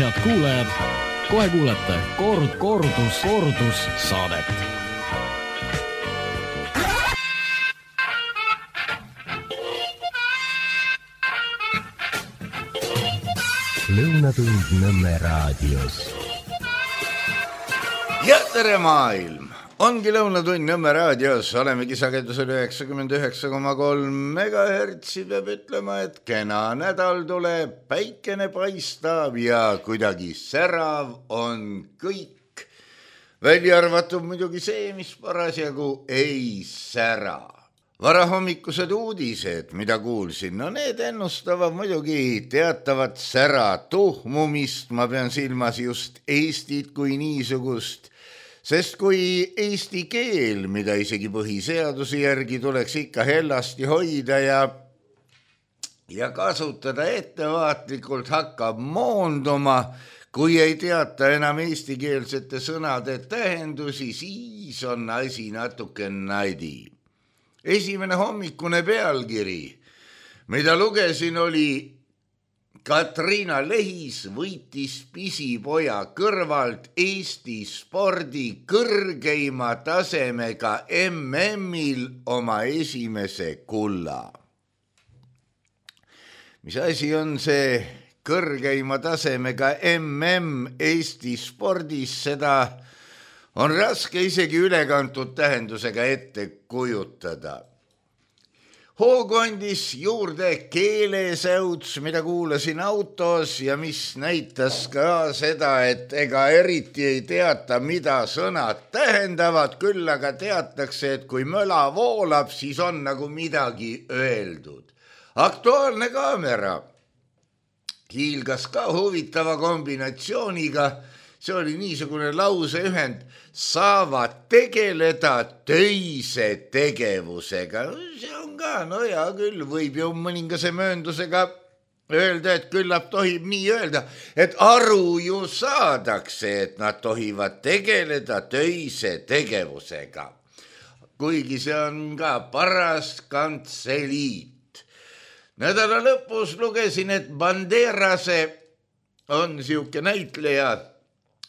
head kuulajad, kohe kuulete kordus saadet. Lõunatund Nõmme raadios. Ja tere maailm! Ongi Lõunatund Nõmme raadios, olemegi sagedusel 99,3 MHz, peab ütlema, et kena nädal tuleb, päikene paistab ja kuidagi särav on kõik. Välja arvatud muidugi see, mis parasjagu ei sära. Varahommikused uudised, mida kuulsin, no need ennustavad muidugi teatavat sära tuhmumist, ma pean silmas just Eestit kui niisugust, sest kui eesti keel, mida isegi põhiseaduse järgi tuleks ikka hellasti hoida ja kasutada ettevaatlikult, hakkab moonduma, kui ei teata enam eestikeelsete sõnade tähendusi, siis on asi natuke nadi. Esimene hommikune pealkiri, mida lugesin, oli Katriina Lehis võitis pisipoja kõrvalt Eesti spordi kõrgeima tasemega MM-il oma esimese kulla. Mis asi on see kõrgeima tasemega MM Eesti spordis, seda on raske isegi ülekantud tähendusega ette kujutada. Hoogu andis juurde keelesäuts, mida kuulasin autos ja mis näitas ka seda, et ega eriti ei teata, mida sõnad tähendavad, küll aga teatakse, et kui möla voolab, siis on nagu midagi öeldud. Aktuaalne kaamera hiilgas ka huvitava kombinatsiooniga. See oli niisugune lauseühend, saavad tegeleda töise tegevusega. See on ka, no hea küll, võib ju mõningase mööndusega öelda, et küllap tohib nii öelda, et aru ju saadakse, et nad tohivad tegeleda töise tegevusega. Kuigi see on ka paras kantseliit. Nädala lõpus lugesin, et Banderase on siuke näitleja,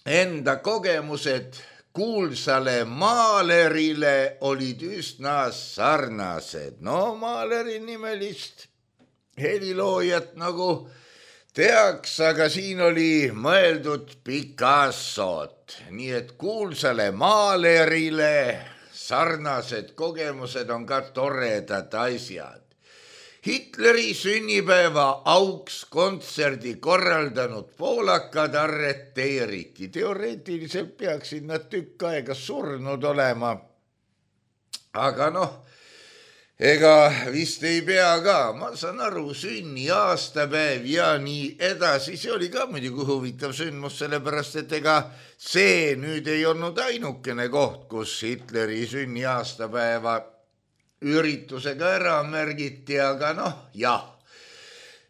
enda kogemused kuulsale maalerile olid üsna sarnased. No maaleri nimelist heliloojat nagu teaks, aga siin oli mõeldud Picassot. Nii et kuulsale maalerile sarnased kogemused on ka toredad asjad. Hitleri sünnipäeva auks kontserdi korraldanud poolakad arreteeriti. Teoreetiliselt peaksid nad tükk aega surnud olema. Aga ega vist ei pea ka. Ma saan aru, sünni aastapäev ja nii edasi. See oli ka muidugi huvitav sündmus, sellepärast et ega see nüüd ei olnud ainukene koht, kus Hitleri sünni aastapäeva üritusega ära märgiti, aga jah.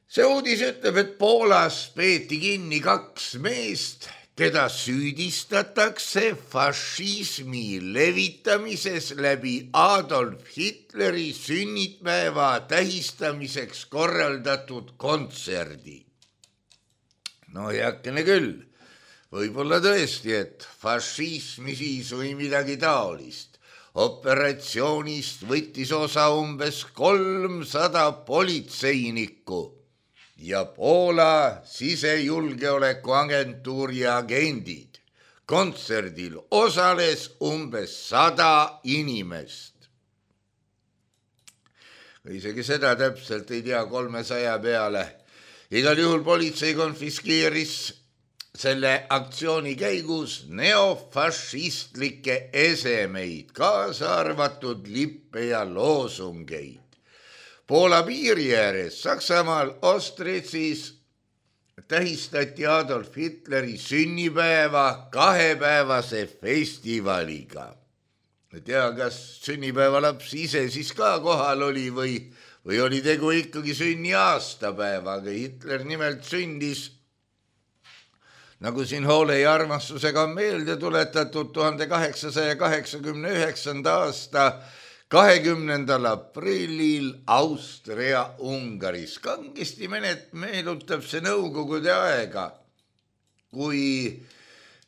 See uudis ütleb, et Poolas peeti kinni 2 meest, keda süüdistatakse fašismi levitamises läbi Adolf Hitleri sünnipäeva tähistamiseks korraldatud kontserdi. Heakene küll, võib-olla tõesti, et fašismi siis või midagi taolist. Operatsioonist võttis osa umbes 300 politseinikku ja Poola sisejulgeolekuagentuuri agendid. Kontserdil osales umbes 100 inimest. Isegi seda täpselt ei tea 300 peale. Igal juhul politsei konfiskeeris selle aktsiooni käigus neofašistlikke esemeid, kaasa arvatud lippe ja loosungeid. Poola piiri ääres Saksamaal Ostritsis tähistati Adolf Hitleri sünnipäeva 2-päevase festivaliga. Ei tea, kas sünnipäevalaps ise siis ka kohal oli või oli tegu ikkagi sünni aastapäevaga. Hitler nimelt sündis, nagu siin hoole ja armastusega on meelde tuletatud, 1889. aasta 20. aprillil Austria-Ungaris. Kangesti meenutab see nõukogude aega. kui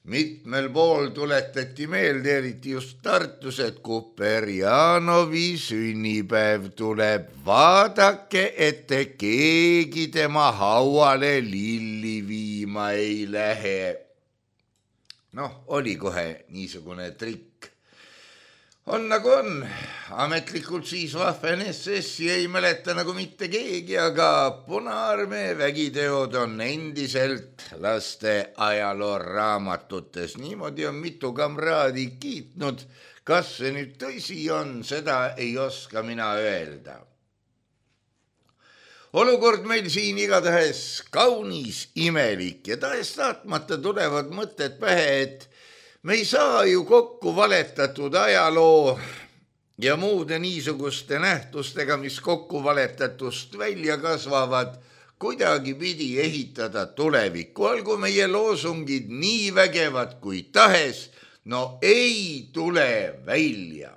mitmel pool tuletati meelde, eriti just Tartus, et Kuperjanovi sünnipäev tuleb. Vaadake, et keegi tema hauale lilli viima ei lähe. Noh, oli kohe niisugune trikk. On nagu on. Ametlikult siis Waffen SS-i ei mäleta nagu mitte keegi, aga Punaarmee vägiteod on endiselt laste ajalooraamatutes. Niimoodi on mitu kamraadi kiitnud. Kas see nüüd tõsi on, seda ei oska mina öelda. Olukord meil siin igatahes kaunis imelik ja tahes-tahtmata tulevad mõtted pähe, et me ei saa ju kokku valetatud ajaloo ja muude niisuguste nähtustega, mis kokku valetatust välja kasvavad, kuidagi pidi ehitada tulevikku. Olgu meie loosungid nii vägevad kui tahes, no ei tule välja.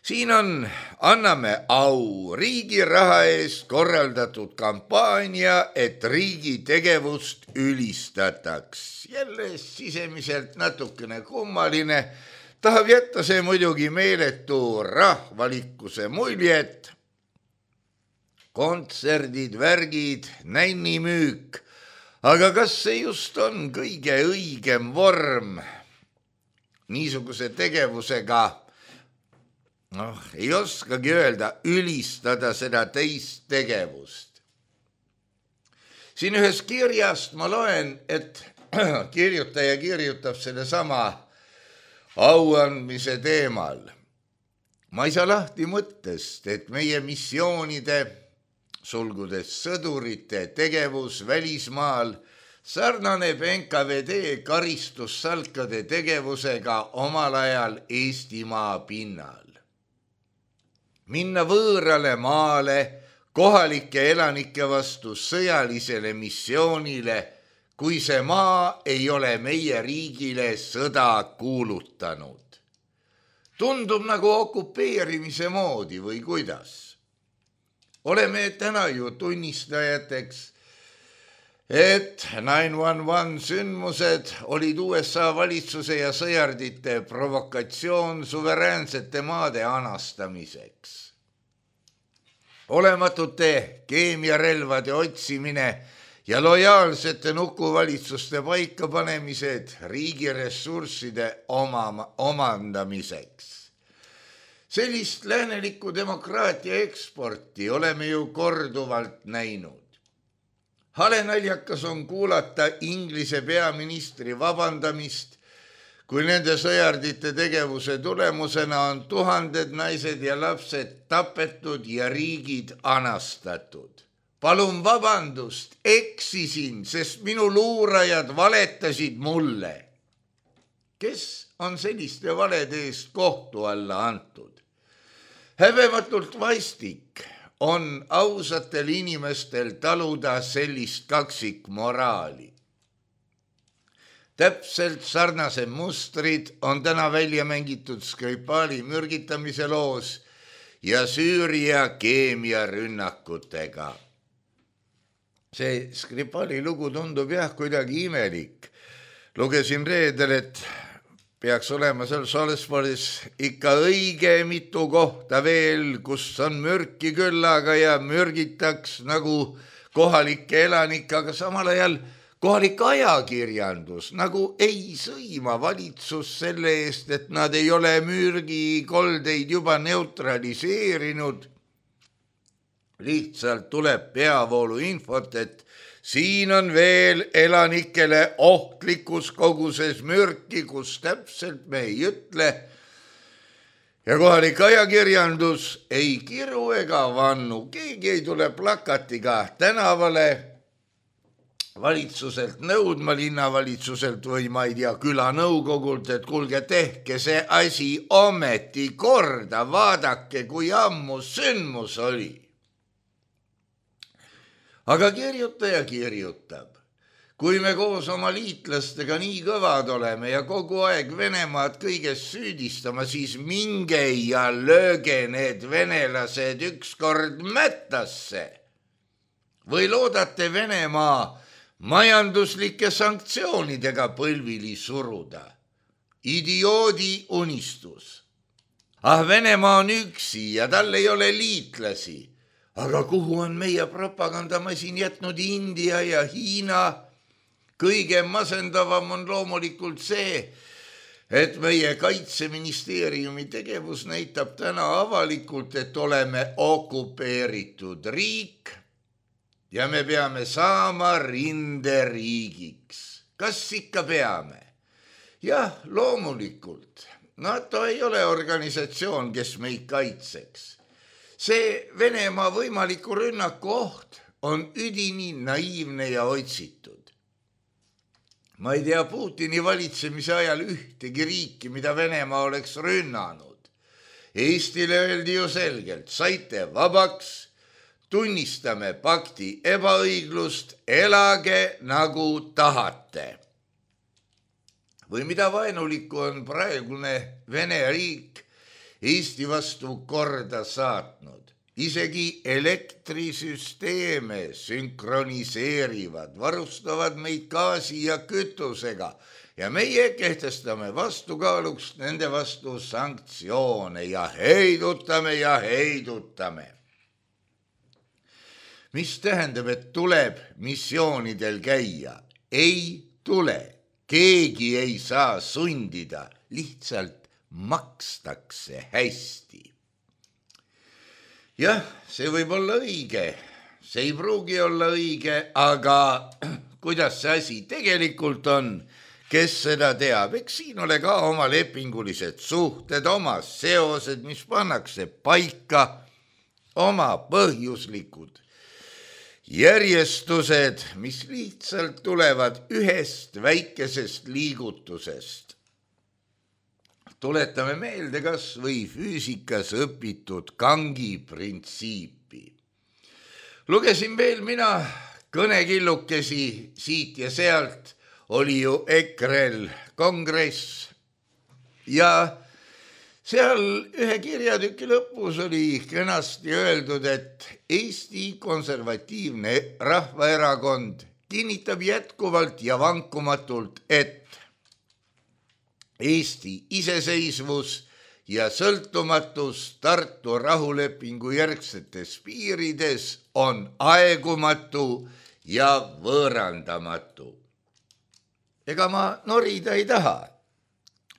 Siin on Anname au riigi raha eest korraldatud kampaania, et riigi tegevust ülistataks. Jälle sisemiselt natukene kummaline, tahab jätta see muidugi meeletu rahvalikkuse muljet. Kontserdid, värgid, nännimüük, aga kas see just on kõige õigem vorm niisuguse tegevusega? Ei oskagi öelda, ülistada seda teist tegevust. Siin ühes kirjast ma loen, et kirjutaja kirjutab selle sama auandmise teemal. Ma ei saa lahti mõttest, et meie missioonide, sulgudes sõdurite tegevus välismaal, sarnaneb NKVD karistussalkade tegevusega omal ajal Eestimaa pinnal. Minna võõrale maale kohalike elanike vastu sõjalisele missioonile, kui see maa ei ole meie riigile sõda kuulutanud. Tundub nagu okupeerimise moodi või kuidas? Oleme täna ju tunnistajateks, et 9/11 sündmused olid USA valitsuse ja sõjardite provokatsioon suveräänsete maade anastamiseks. Olematute keemiarelvade otsimine ja lojaalsete nukuvalitsuste paikapanemised riigi ressursside omandamiseks. Sellist läänelikku demokraatia eksporti oleme ju korduvalt näinud. Hale naljakas on kuulata Inglise peaministri vabandamist, kui nende sõjardite tegevuse tulemusena on tuhanded naised ja lapsed tapetud ja riigid anastatud. Palun vabandust, eksisin, sest minu luurajad valetasid mulle. Kes on selliste valede eest kohtu alla antud? Häbematult vastik on ausatel inimestel taluda sellist kaksikmoraali. Täpselt sarnase mustrid on täna välja mängitud Skripali mürgitamise loos ja Süüria keemiarünnakutega. See Skripali lugu tundub kuidagi imelik. Lugesin reedel, et peaks olema seal Salisbury's ikka õige mitu kohta veel, kus on mürki küllaga ja mürgitaks nagu kohalike elanike, aga samal ajal kohalik ajakirjandus nagu ei sõima valitsus selle eest, et nad ei ole mürgikoldeid juba neutraliseerinud. Lihtsalt tuleb peavoolu infot, et siin on veel elanikele ohtlikus koguses mürki, kus täpselt me ei ütle. Ja kohalik ajakirjandus ei kiru ega vannu. Keegi ei tule plakatiga tänavale valitsuselt nõudma, linnavalitsuselt või ma ei tea, külanõukogult, et kuulge, tehke see asi ometi korda, vaadake, kui ammu sündmus oli. Aga kirjutaja kirjutab, kui me koos oma liitlastega nii kõvad oleme ja kogu aeg Venemaad kõiges süüdistama, siis minge ja lööge need venelased ükskord mättasse. Või loodate Venemaa majanduslike sanktsioonidega põlvili suruda. Idioodi unistus. Venemaa on üksi ja tal ei ole liitlasi. Aga kuhu on meie propagandamasin jätnud India ja Hiina? Kõige masendavam on loomulikult see, et meie kaitseministeeriumi tegevus näitab täna avalikult, et oleme okupeeritud riik ja me peame saama rinderiigiks. Kas ikka peame? Jah, loomulikult. NATO ei ole organisatsioon, kes meid kaitseks. See Venemaa võimaliku rünnaku oht on üdini naiivne ja otsitud. Ma ei tea Putini valitsemise ajal ühtegi riiki, mida Venemaa oleks rünnanud. Eestile öeldi ju selgelt, saite vabaks, tunnistame pakti ebaõiglust, elage nagu tahate. Või mida vaenulikku on praegune Vene riik Eesti vastu korda saatnud. Isegi elektrisüsteeme sünkroniseerivad, varustavad meid gaasi ja kütusega ja meie kehtestame vastukaaluks nende vastu sanktsioone ja heidutame. Mis tähendab, et tuleb missioonidel käia? Ei tule. Keegi ei saa sundida, lihtsalt makstakse hästi. Jah, see võib olla õige, see ei pruugi olla õige, aga kuidas see asi tegelikult on, kes seda teab? Eks siin ole ka oma lepingulised suhted, oma seosed, mis pannakse paika, oma põhjuslikud järjestused, mis lihtsalt tulevad ühest väikesest liigutusest. Tuletame meelde kas või füüsikas õpitud Kangi printsiipi. Lugesin veel mina kõnekillukesi siit ja sealt, oli ju EKRE-l kongress ja seal ühe kirjatüki lõpus oli kenasti öeldud, et Eesti Konservatiivne Rahvaerakond kinnitab jätkuvalt ja vankumatult, et Eesti iseseisvus ja sõltumatus Tartu rahulepingu järgsetes piirides on aegumatu ja võõrandamatu. Ega ma norida ei taha,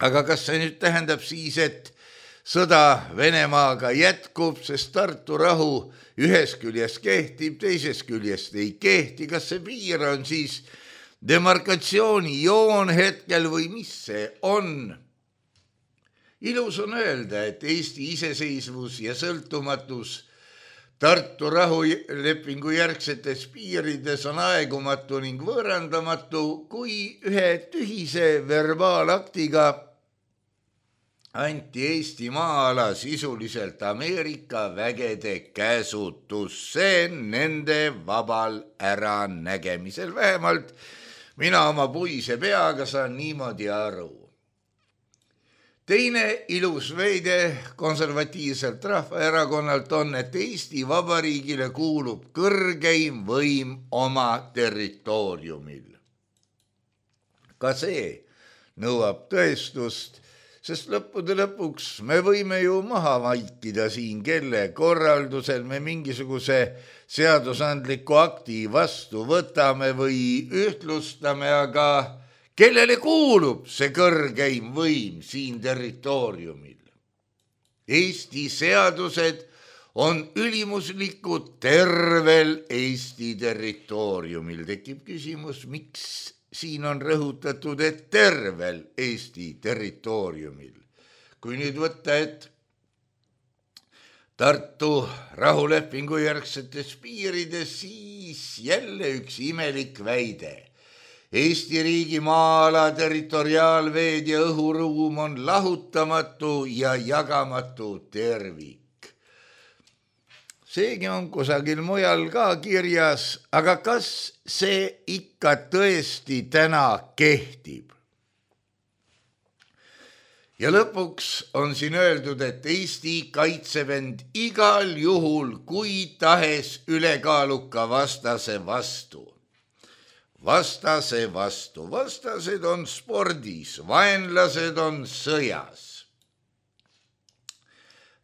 aga kas see nüüd tähendab siis, et sõda Venemaaga jätkub, sest Tartu rahu ühes küljest kehtib, teises küljest ei kehti, kas see piir on siis demarkatsioonijoon hetkel või mis see on? Ilus on öelda, et Eesti iseseisvus ja sõltumatus Tartu rahulepingu järgsetes piirides on aegumatu ning võõrandamatu, kui ühe tühise verbaalaktiga anti Eesti maa-ala sisuliselt Ameerika vägede käsutusse nende vabal äranägemisel. Vähemalt mina oma puise peaga saan niimoodi aru. Teine ilus veide konservatiivselt Rahvaerakonnalt on, et Eesti Vabariigile kuulub kõrgeim võim oma territooriumil. Ka see nõuab tõestust, sest lõppude lõpuks me võime ju maha vaikida siin, kelle korraldusel me mingisuguse seadusandliku akti vastu võtame või ühtlustame, aga kellele kuulub see kõrgeim võim siin territooriumil? Eesti seadused on ülimuslikud tervel Eesti territooriumil. Tekib küsimus, miks siin on rõhutatud, et tervel Eesti territooriumil. Kui nüüd võtta, et Tartu rahulepingu järgsetes piirides, siis jälle üks imelik väide. Eesti riigi maa-ala, territoriaalveed ja õhuruum on lahutamatu ja jagamatu tervik. Seegi on kusagil mujal ka kirjas, aga kas see ikka tõesti täna kehtib? Ja lõpuks on siin öeldud, et Eesti kaitseb end igal juhul kui tahes ülekaaluka vastase vastu. vastase vastu. Vastased on spordis, vaenlased on sõjas.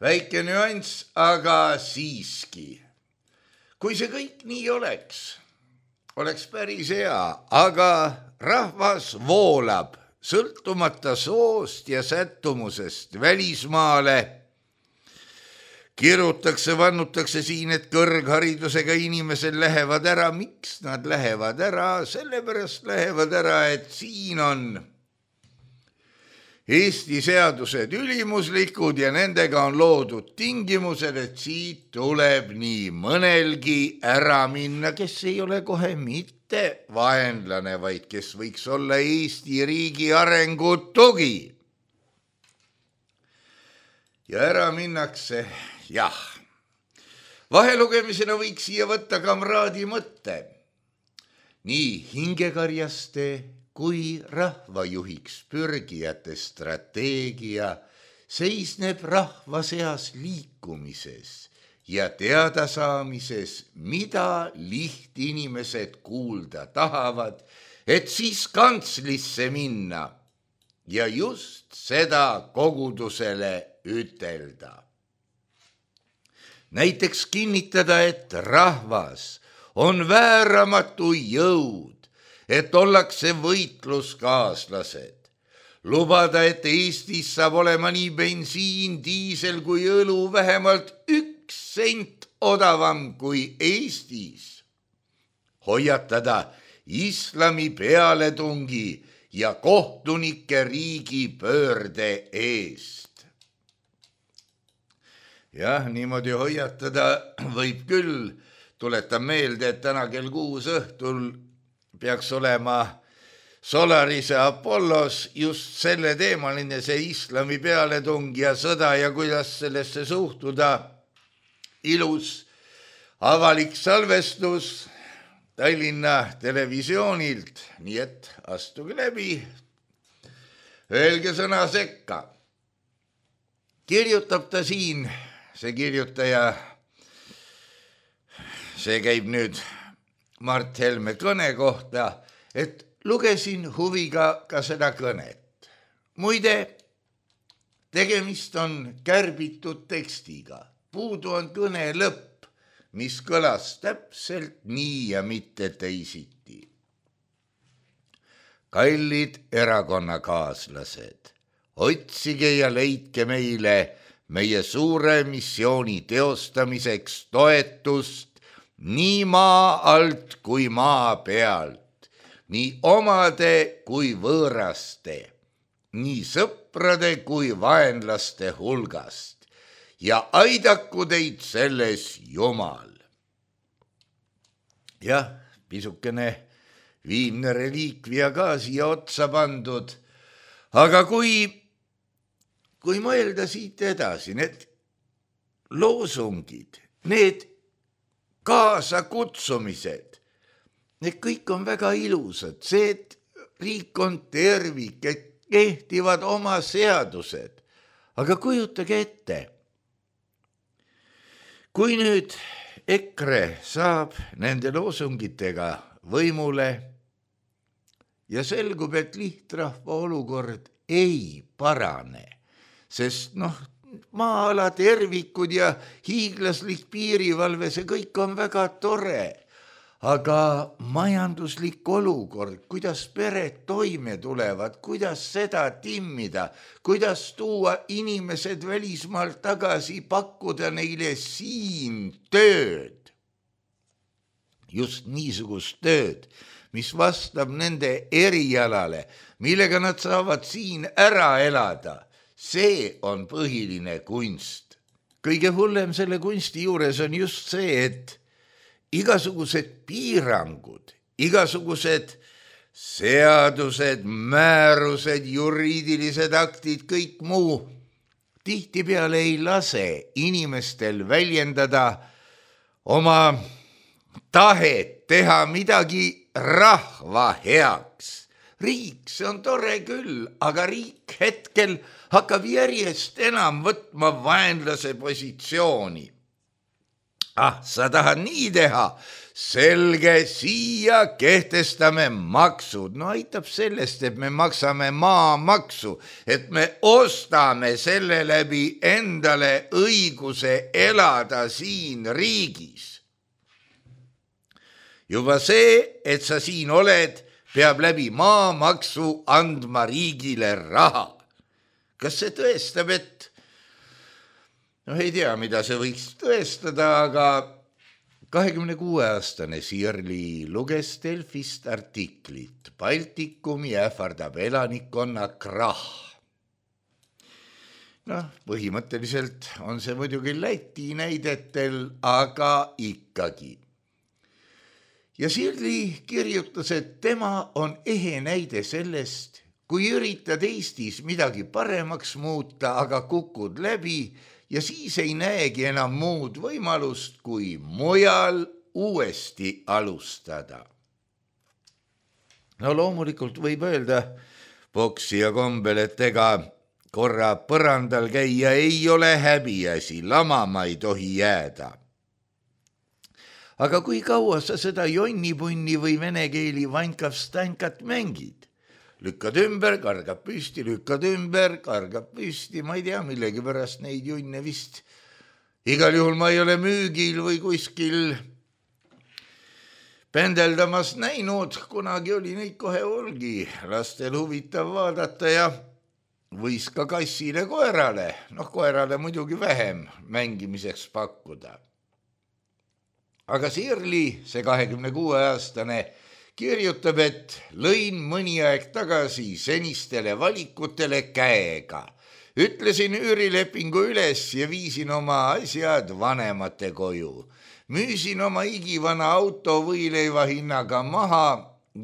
Väike nüanss, aga siiski. Kui see kõik nii oleks päris hea, aga rahvas voolab sõltumata soost ja sättumusest välismaale. Kirutakse, vannutakse siin, et kõrgharidusega inimesed lähevad ära. Miks nad lähevad ära? Sellepärast lähevad ära, et siin on Eesti seadused ülimuslikud ja nendega on loodud tingimused, et siit tuleb nii mõnelgi ära minna, kes ei ole kohe mitte vaenlane, vaid kes võiks olla Eesti riigi arengu tugi. Ja ära minnakse, jah. Vahelugemisena võiks siia võtta kamraadi mõtte. Nii hingekarjaste kui rahvajuhiks pürgijate strateegia seisneb rahva seas liikumises ja teadasaamises, mida lihtinimesed kuulda tahavad, et siis kantslisse minna ja just seda kogudusele ütelda. Näiteks kinnitada, et rahvas on vääramatu jõud, et ollakse võitluskaaslased. Lubada, et Eestis saab olema nii bensiin, diisel kui õlu vähemalt 1 sent odavam kui Eestis. Hoiatada islami pealetungi ja kohtunike riigi pöörde eest. Jah, niimoodi hoiatada võib küll. Tuletan meelde, et täna kell 6 õhtul peaks olema Solarise Apollos just selle teemaline, see islami pealetung ja sõda ja kuidas sellesse suhtuda. Ilus avalik salvestus Tallinna televisioonilt, nii et astuge läbi, öelge sõna sekka. Kirjutab ta siin, see kirjutaja, see käib nüüd Mart Helme kõne kohta, et lugesin huviga ka seda kõnet. Muide, tegemist on kärbitud tekstiga. Puudu on kõne lõpp, mis kõlas täpselt nii ja mitte teisiti. Kallid erakonnakaaslased, otsige ja leidke meile meie suure missiooni teostamiseks toetust nii maa alt kui maa pealt, nii omade kui võõraste, nii sõprade kui vaenlaste hulgast ja aidaku teid selles Jumal. Jah, pisukene viimne reliikvia ka siia otsa pandud, aga kui mõelda siit edasi, need loosungid, need kaasakutsumised, need kõik on väga ilusad, see, et riik on tervik, et kehtivad oma seadused. Aga kujutage ette, kui nüüd EKRE saab nende loosungitega võimule ja selgub, et lihtrahva olukord ei parane, sest maa-ala tervikud ja hiiglaslik piirivalve, see kõik on väga tore, aga majanduslik olukord, kuidas pered toime tulevad, kuidas seda timmida, kuidas tuua inimesed välismaalt tagasi, pakkuda neile siin tööd. Just niisugust tööd, mis vastab nende erialale, millega nad saavad siin ära elada. See on põhiline kunst. Kõige hullem selle kunsti juures on just see, et igasugused piirangud, igasugused seadused, määrused, juriidilised aktid, kõik muu tihtipeale ei lase inimestel väljendada oma tahet teha midagi rahva heaks. Riik, see on tore küll, aga riik hetkel hakkab järjest enam võtma vaenlase positsiooni. sa tahad nii teha? Selge, siia kehtestame maksud. No aitab sellest, et me maksame maamaksu, et me ostame selle läbi endale õiguse elada siin riigis. Juba see, et sa siin oled, peab läbi maamaksu andma riigile raha. Kas see tõestab, et ei tea, mida see võiks tõestada, aga 26-aastane Sirli luges Delfist artiklit Baltikumi ähvardab elanikkonna krahh. Põhimõtteliselt on see muidugi Läti näidetel, aga ikkagi. Ja Sirli kirjutas, et tema on ehe näide sellest, kui üritad Eestis midagi paremaks muuta, aga kukud läbi ja siis ei näegi enam muud võimalust, kui mujal uuesti alustada. No loomulikult võib öelda poksija kombel, et ega korra põrandal käia ei ole häbiasi, lamama ei tohi jääda. Aga kui kaua sa seda jonnipunni või vene keeli vankav-stankat mängid? Lükkad ümber, kargab püsti, lükkad ümber, kargab püsti, ma ei tea, millegi pärast neid junne vist. Igal juhul ma ei ole müügil või kuskil pendeldamas näinud, kunagi oli neid kohe olgi lastel huvitav vaadata ja võis ka kassile koerale, koerale muidugi vähem mängimiseks pakkuda. Aga Sirli, see 26-aastane, kirjutab, et lõin mõni aeg tagasi senistele valikutele käega. Ütlesin üürilepingu üles ja viisin oma asjad vanemate koju. Müüsin oma igivana auto võileiva hinnaga maha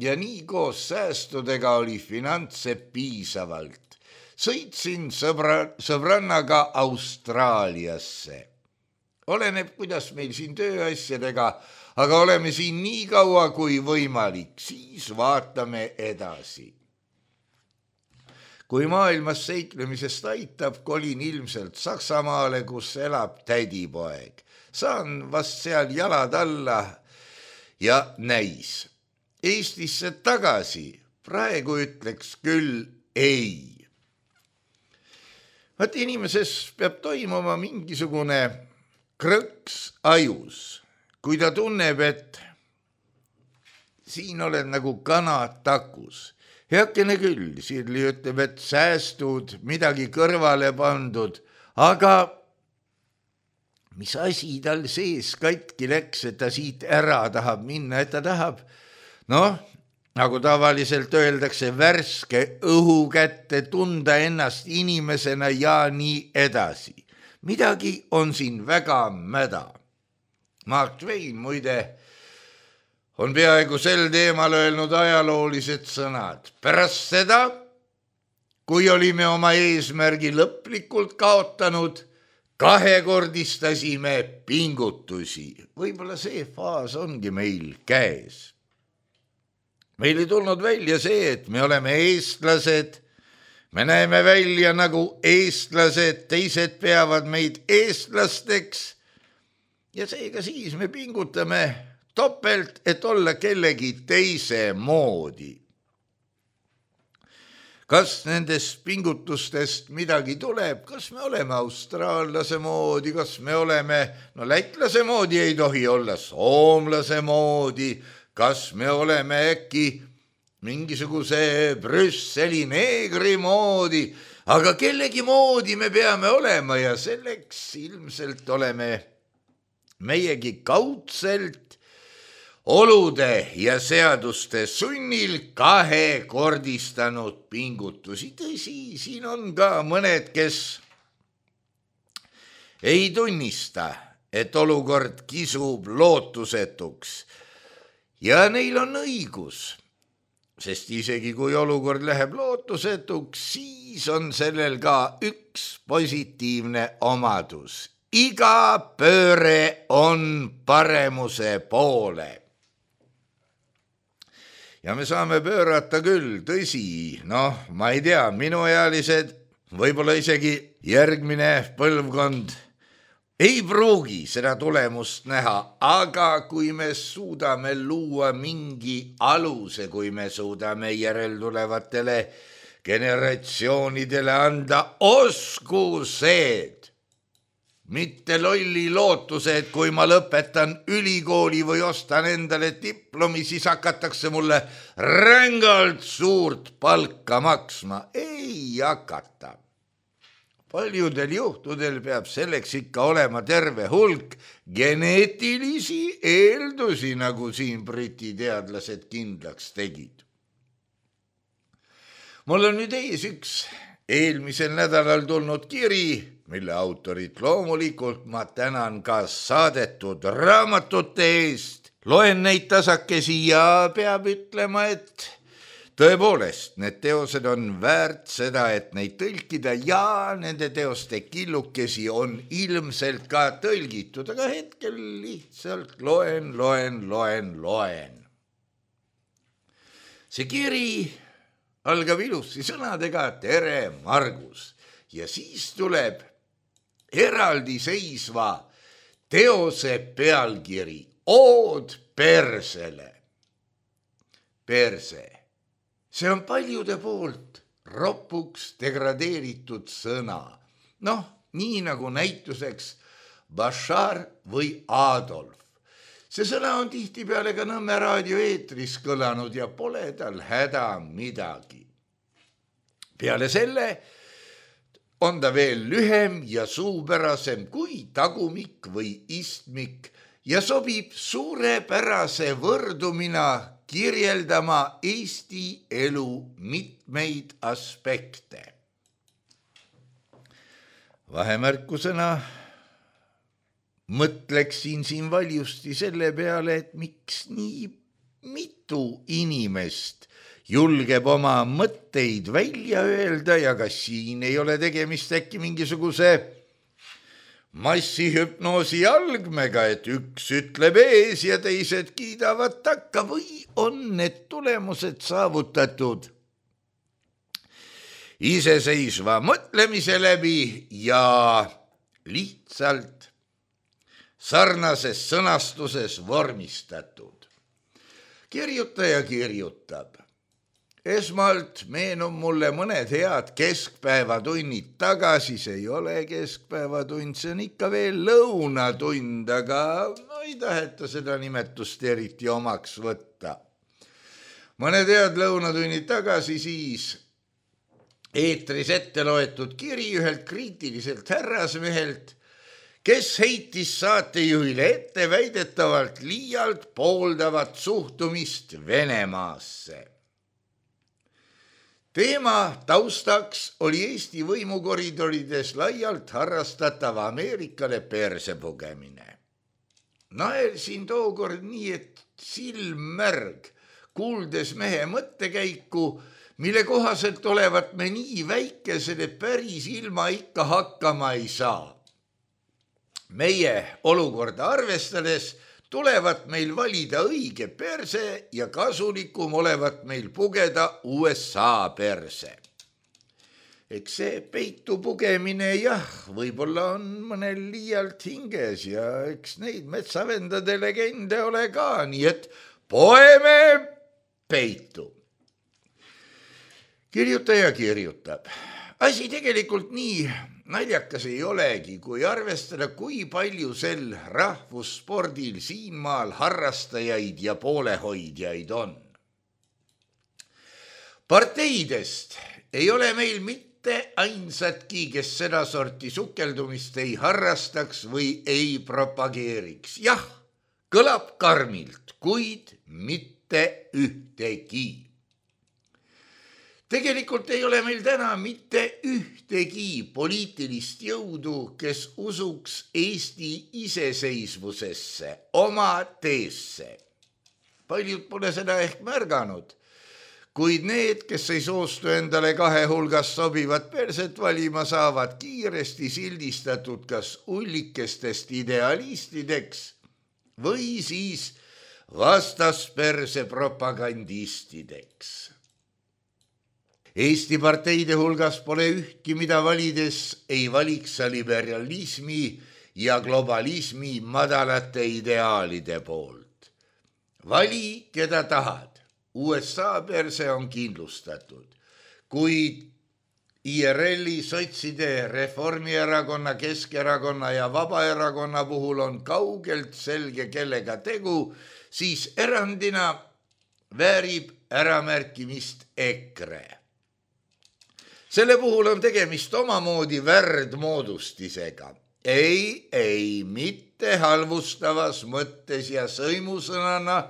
ja nii koos säästudega oli finantse piisavalt. Sõitsin sõbrannaga Austraaliasse. Oleneb, kuidas meil siin tööasjadega, aga oleme siin nii kaua kui võimalik, siis vaatame edasi. Kui maailmas seiklemisest aitab, kolin ilmselt Saksamaale, kus elab tädipoeg. Saan vast seal jalad alla ja näis. Eestisse tagasi, praegu ütleks küll ei. Vaat inimeses peab toimuma mingisugune krõks ajus. Kui ta tunneb, et siin oled nagu kana takus. Heakene küll, Sirli ütleb, et säästud, midagi kõrvale pandud, aga mis asi tal sees katki läks, et ta siit ära tahab minna, et ta tahab, nagu tavaliselt öeldakse, värske õhu kätte, tunda ennast inimesena ja nii edasi. Midagi on siin väga mäda. Mark Twain muide on peaaegu sel teemal öelnud ajaloolised sõnad. Pärast seda, kui olime oma eesmärgi lõplikult kaotanud, kahekordistasime pingutusi. Võib-olla see faas ongi meil käes. Meil ei tulnud välja see, et me oleme eestlased, me näeme välja nagu eestlased, teised peavad meid eestlasteks ja seega siis me pingutame topelt, et olla kellegi teise moodi. Kas nendest pingutustest midagi tuleb? Kas me oleme austraallase moodi? Kas me oleme, lätlase moodi ei tohi olla, soomlase moodi? Kas me oleme äkki mingisuguse Brüsseli neegri moodi? Aga kellegi moodi me peame olema ja selleks ilmselt oleme meiegi kaudselt olude ja seaduste sunnil kahekordistanud pingutusi. Tõsi, siin on ka mõned, kes ei tunnista, et olukord kisub lootusetuks ja neil on õigus, sest isegi kui olukord läheb lootusetuks, siis on sellel ka üks positiivne omadus. Iga pööre on paremuse poole. Ja me saame pöörata küll, tõsi, ma ei tea, minuealised, võib-olla isegi järgmine põlvkond ei pruugi seda tulemust näha, aga kui me suudame luua mingi aluse, kui me suudame järeltulevatele generatsioonidele anda oskused, mitte lolli lootuse, et kui ma lõpetan ülikooli või ostan endale diplomi, siis hakatakse mulle rängalt suurt palka maksma. Ei hakata. Paljudel juhtudel peab selleks ikka olema terve hulk geneetilisi eeldusi, nagu siin Briti teadlased kindlaks tegid. Mul on nüüd ees üks eelmisel nädalal tulnud kiri, mille autorit loomulikult ma tänan ka saadetud raamatute eest. Loen neid tasakesi ja peab ütlema, et tõepoolest, need teosed on väärt seda, et neid tõlkida ja nende teoste killukesi on ilmselt ka tõlgitud, aga hetkel lihtsalt loen. See kiri algab ilusti sõnadega tere, Margus, ja siis tuleb eraldiseisva teose pealkiri Ood persele. Perse. See on paljude poolt ropuks degradeeritud sõna. Nii nagu näituseks Bashar või Adolf. See sõna on tihtipeale ka Nõmme raadio eetris kõlanud ja pole tal häda midagi. Peale selle on ta veel lühem ja suupärasem kui tagumik või istmik ja sobib suurepärase võrdumina kirjeldama Eesti elu mitmeid aspekte. Vahemärkusena mõtleksin siin valjusti selle peale, et miks nii mitu inimest julgeb oma mõtteid välja öelda ja kas siin ei ole tegemist äkki mingisuguse massihüpnoosi algmega, et üks ütleb ees ja teised kiidavad takka või on need tulemused saavutatud iseseisva mõtlemise läbi ja lihtsalt sarnases sõnastuses vormistatud. Kirjutaja kirjutab. Esmalt meenub mulle mõned head keskpäevatunnid tagasi, see ei ole keskpäevatund, see on ikka veel lõunatund, aga ei taheta seda nimetust eriti omaks võtta. Mõned head lõunatunnid tagasi siis eetris ette loetud kiri ühelt kriitiliselt härrasmehelt, kes heitis saatejuhile ette väidetavalt liialt pooldavat suhtumist Venemaasse. Teema taustaks oli Eesti võimukoridorides laialt harrastatav Ameerikale perse pugemine. Naersin tookord nii, et silmmärg, kuuldes mehe mõttekäiku, mille kohaselt olevat me nii väikesed, et päris ilma ikka hakkama ei saa. Meie olukorda arvestades tulevat meil valida õige perse ja kasulikum olevat meil pugeda USA perse. Eks see peitu pugemine võib-olla on mõnel liialt hinges ja eks neid metsavendade legende ole ka, nii et poeme peitu. Kirjutaja kirjutab. Asi tegelikult nii naljakas ei olegi, kui arvestada, kui palju sel rahvusspordil siinmaal harrastajaid ja poolehoidjaid on. Parteidest ei ole meil mitte ainsatki, kes seda sorti sukeldumist ei harrastaks või ei propageeriks. Jah, kõlab karmilt, kuid mitte ühtegi. Tegelikult ei ole meil täna mitte ühtegi poliitilist jõudu, kes usuks Eesti iseseisvusesse, oma teesse. Paljud pole seda ehk märganud, kuid need, kes ei soostu endale kahe hulgas sobivat perset valima, saavad kiiresti sildistatud kas ullikestest idealistideks või siis vastasperse propagandistideks. Eesti parteide hulgas pole ühtki, mida valides ei valiks sa liberalismi ja globalismi madalate ideaalide poolt. Vali, keda tahad. USA perse on kindlustatud, kuid IRL-i, sotside, Reformierakonna, Keskerakonna ja Vabaerakonna puhul on kaugelt selge, kellega tegu, siis erandina väärib äramärkimist EKRE. Selle puhul on tegemist omamoodi värdmoodustisega. Ei, mitte halvustavas mõttes ja sõimusõnana,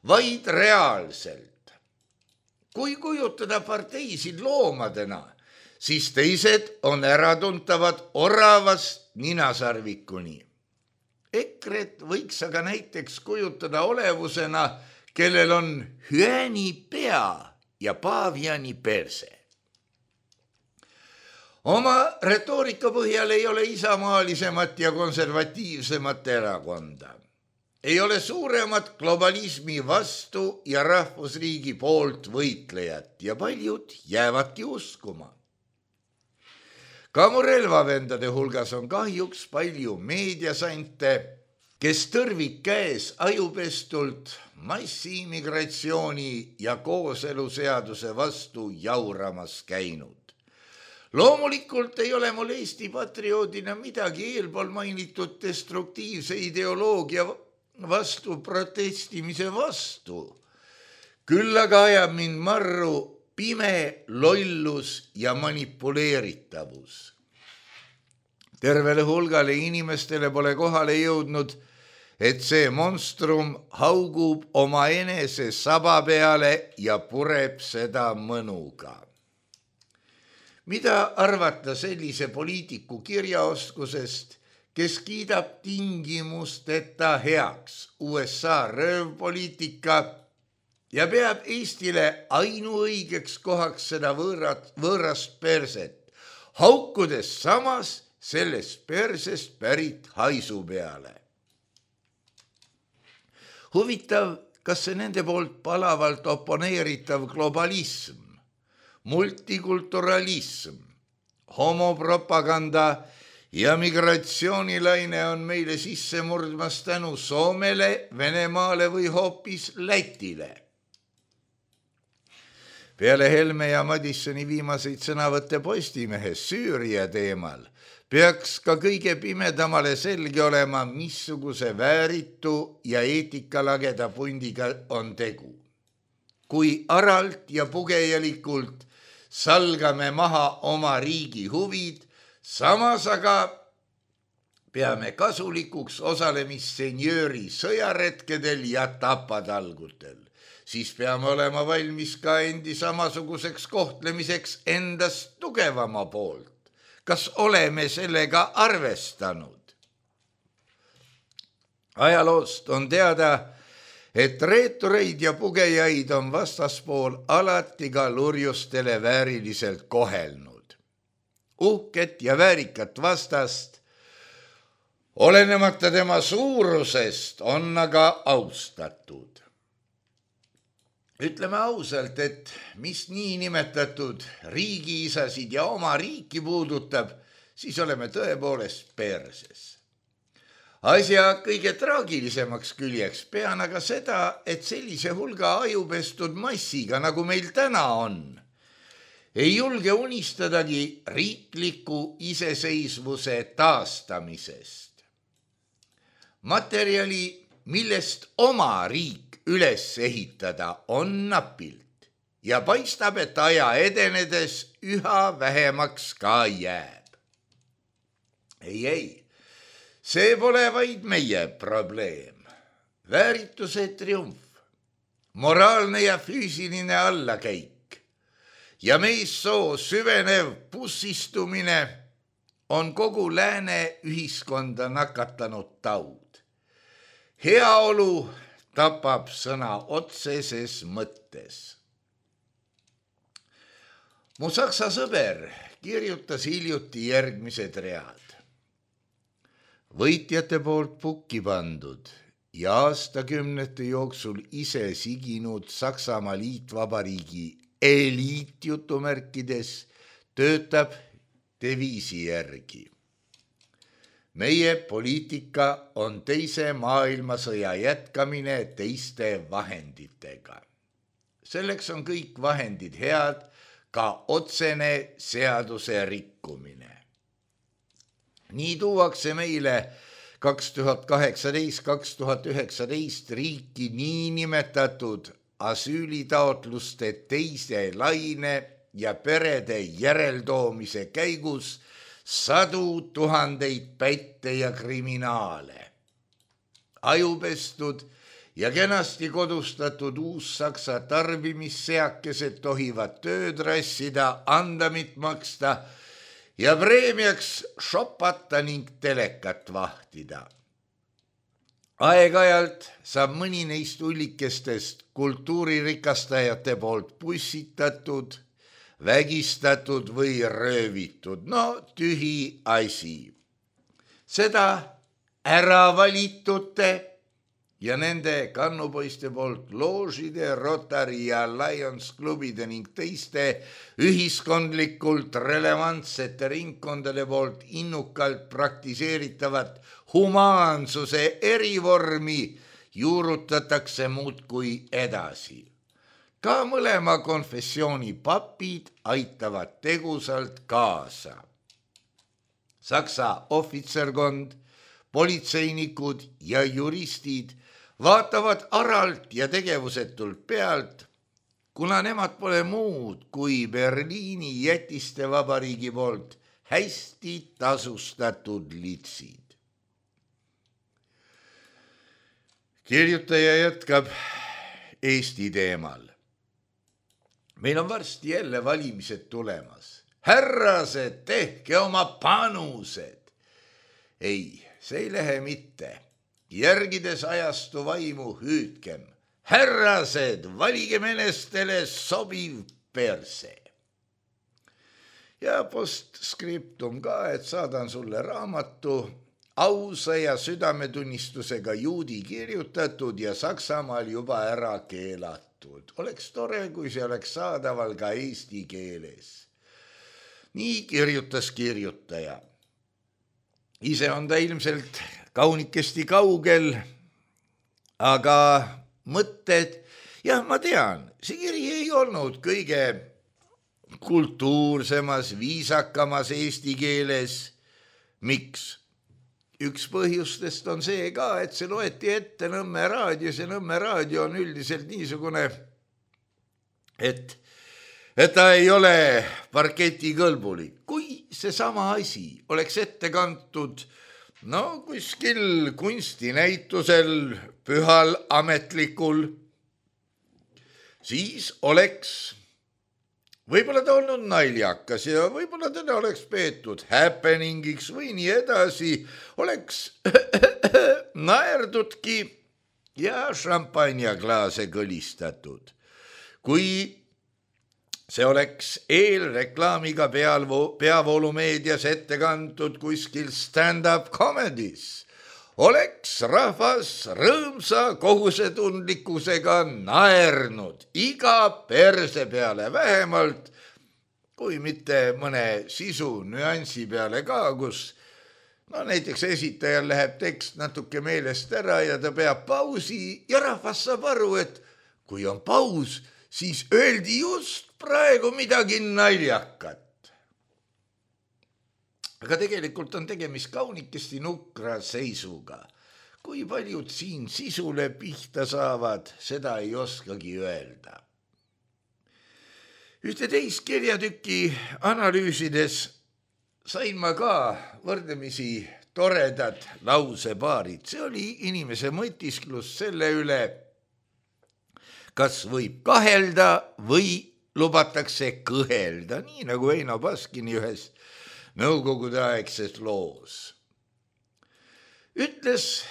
vaid reaalselt. Kui kujutada parteisid loomadena, siis teised on äratuntavad oravast ninasarvikuni. EKRE-t võiks aga näiteks kujutada olevusena, kellel on hüäni pea ja paaviani perse. Oma retoorika põhjal ei ole isamaalisemat ja konservatiivsemat erakonda. Ei ole suuremat globalismi vastu ja rahvusriigi poolt võitlejat ja paljud jäävadki uskuma. Ka mu relvavendade hulgas on kahjuks palju meediasante, kes tõrvik käes ajupestult massiimmigratsiooni ja kooseluseaduse vastu jauramas käinud. Loomulikult ei ole mul Eesti patrioodina midagi eelpool mainitud destruktiivse ideoloogia vastu protestimise vastu. Küll aga ajab mind marru pime lollus ja manipuleeritavus. Tervele hulgale inimestele pole kohale jõudnud, et see monstrum haugub oma enese saba peale ja pureb seda mõnuga. Mida arvata sellise poliitiku kirjaoskusest, kes kiidab tingimusteta heaks USA röövpoliitika ja peab Eestile ainuõigeks kohaks seda võõrast perset, haukudes samas sellest persest pärit haisu peale. Huvitav, kas see nende poolt palavalt oponeeritav globalism, multikulturalism, homopropaganda ja migratsioonilaine on meile sisse murdmas tänu Soomele, Venemaale või hoopis Lätile. Peale Helme ja Madissoni viimaseid sõnavõtte Postimehes Süüria teemal peaks ka kõige pimedamale selge olema, missuguse vääritu ja eetikalageda pundiga on tegu. Kui aralt ja pugejalikult salgame maha oma riigi huvid, samas aga peame kasulikuks osalemist senjööri sõjaretkedel ja tapatalgutel, siis peame olema valmis ka endi samasuguseks kohtlemiseks endast tugevama poolt. Kas oleme sellega arvestanud? Ajaloost on teada, et reetureid ja pugejaid on vastaspool alati ka lurjustele vääriliselt kohelnud. Uhket ja väärikat vastast, olenemata tema suurusest, on aga austatud. Ütleme ausalt, et mis niinimetatud riigiisasid ja oma riiki puudutab, siis oleme tõepoolest perses. Asja kõige traagilisemaks küljeks pean aga seda, et sellise hulga ajupestud massiga, nagu meil täna on, ei julge unistadagi riikliku iseseisvuse taastamisest. Materjali, millest oma riik üles ehitada, on napilt ja paistab, et aja edenedes üha vähemaks ka jääb. Ei, see pole vaid meie probleem. Väärituse triumf, moraalne ja füüsiline allakäik ja meissoo süvenev pussistumine on kogu lääne ühiskonda nakatanud taud. Heaolu tapab sõna otseses mõttes. Mu saksa sõber kirjutas hiljuti järgmised read. Võitjate poolt pukki pandud ja aastakümnete jooksul ise siginud Saksamaa liitvabariigi eliitjutumärkides töötab deviisi järgi. meie poliitika on teise maailmasõja jätkamine teiste vahenditega. Selleks on kõik vahendid head, ka otsene seaduse rikkumine. Nii tuuakse meile 2018-2019 riiki niinimetatud asüülitaotluste teise laine ja perede järeldoomise käigus sadu tuhandeid pätte ja kriminaale. Ajupestud ja kenasti kodustatud uussaksa tarbimisseakesed tohivad tööd rassida, andamit maksta ja preemiaks shopata ning telekat vahtida. Aeg-ajalt saab mõni neist ullikestest kultuuririkastajate poolt pussitatud, vägistatud või röövitud. No tühi asi. Seda äravalitute ja nende kannupoiste poolt loožide, Rotary ja Lions klubide ning teiste ühiskondlikult relevantsete ringkondade poolt innukalt praktiseeritavat humaansuse erivormi juurutatakse muudkui edasi. Ka mõlema konfessiooni papid aitavad tegusalt kaasa. Saksa ohvitserkond, politseinikud ja juristid vaatavad aralt ja tegevusetult pealt, kuna nemad pole muud kui Berliini jätiste vabariigi poolt hästi tasustatud litsid. Kirjutaja jätkab Eesti teemal. Meil on varsti jälle valimised tulemas. Härrased, tehke oma panused. Ei, see ei lähe mitte. Järgides ajastu vaimu hüüdkem. Härrased, valige menestele sobiv perse. Ja postskriptum ka, et saadan sulle raamatu ausa ja südametunnistusega juudi kirjutatud ja Saksamaal juba ära keelatud. Oleks tore, kui see oleks saadaval ka eesti keeles. Nii kirjutas kirjutaja. Ise on ta ilmselt kaunikesti kaugel, aga mõtted, jah, ma tean, see kiri ei olnud kõige kultuursemas, viisakamas eesti keeles. Miks? Üks põhjustest on see ka, et see loeti ette Nõmme raadios ja Nõmme raadio on üldiselt niisugune, et ta ei ole parketikõlbulik. Kui seesama asi oleks ette kantud kuskil kunstinäitusel, pühal ametlikul, siis oleks võib-olla ta olnud naljakas ja võib-olla teda oleks peetud happeningiks või nii edasi, oleks naerdudki ja šampanjaklaase kõlistatud. Kui see oleks eelreklaamiga peavoolumeedias ette kantud kuskil stand-up comedys, oleks rahvas rõõmsa kohusetundlikkusega naernud iga perse peale vähemalt, kui mitte mõne sisu nüansi peale ka, kus näiteks esitajal läheb tekst natuke meelest ära ja ta peab pausi ja rahvas saab aru, et kui on paus, siis öeldi just praegu midagi naljakat. Aga tegelikult on tegemist kaunikesti nukra seisuga. Kui paljud siin sisule pihta saavad, seda ei oskagi öelda. Ühte teist kirjatükki analüüsides sain ma ka võrdlemisi toredad lausepaarid. See oli inimese mõtisklus selle üle, kas võib kahelda või lubatakse kõhelda, nii nagu Eino Baskini ühes nõukogudeaegses loos. Ütles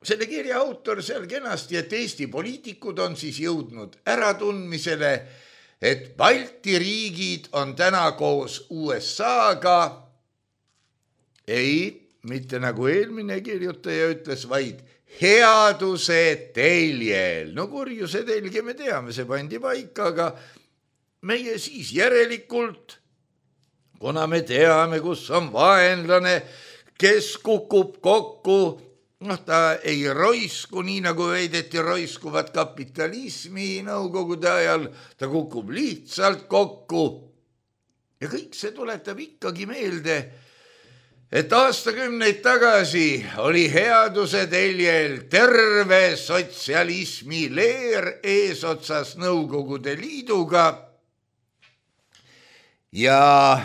selle kirja autor seal kenasti, et Eesti poliitikud on siis jõudnud äratundmisele, et Balti riigid on täna koos USA-ga, ei, mitte nagu eelmine kirjutaja ütles, vaid headuse teljel. Kurjuse telge me teame, see pandi paika, aga meie siis järelikult, kuna me teame, kus on vaenlane, kes kukub kokku, ta ei roisku, nii nagu veideti roiskuvat kapitalismi nõukogude ajal, ta kukub lihtsalt kokku. Ja kõik see tuletab ikkagi meelde, et aastakümneid tagasi oli headuse teljel terve sotsialismi leer eesotsas Nõukogude Liiduga ja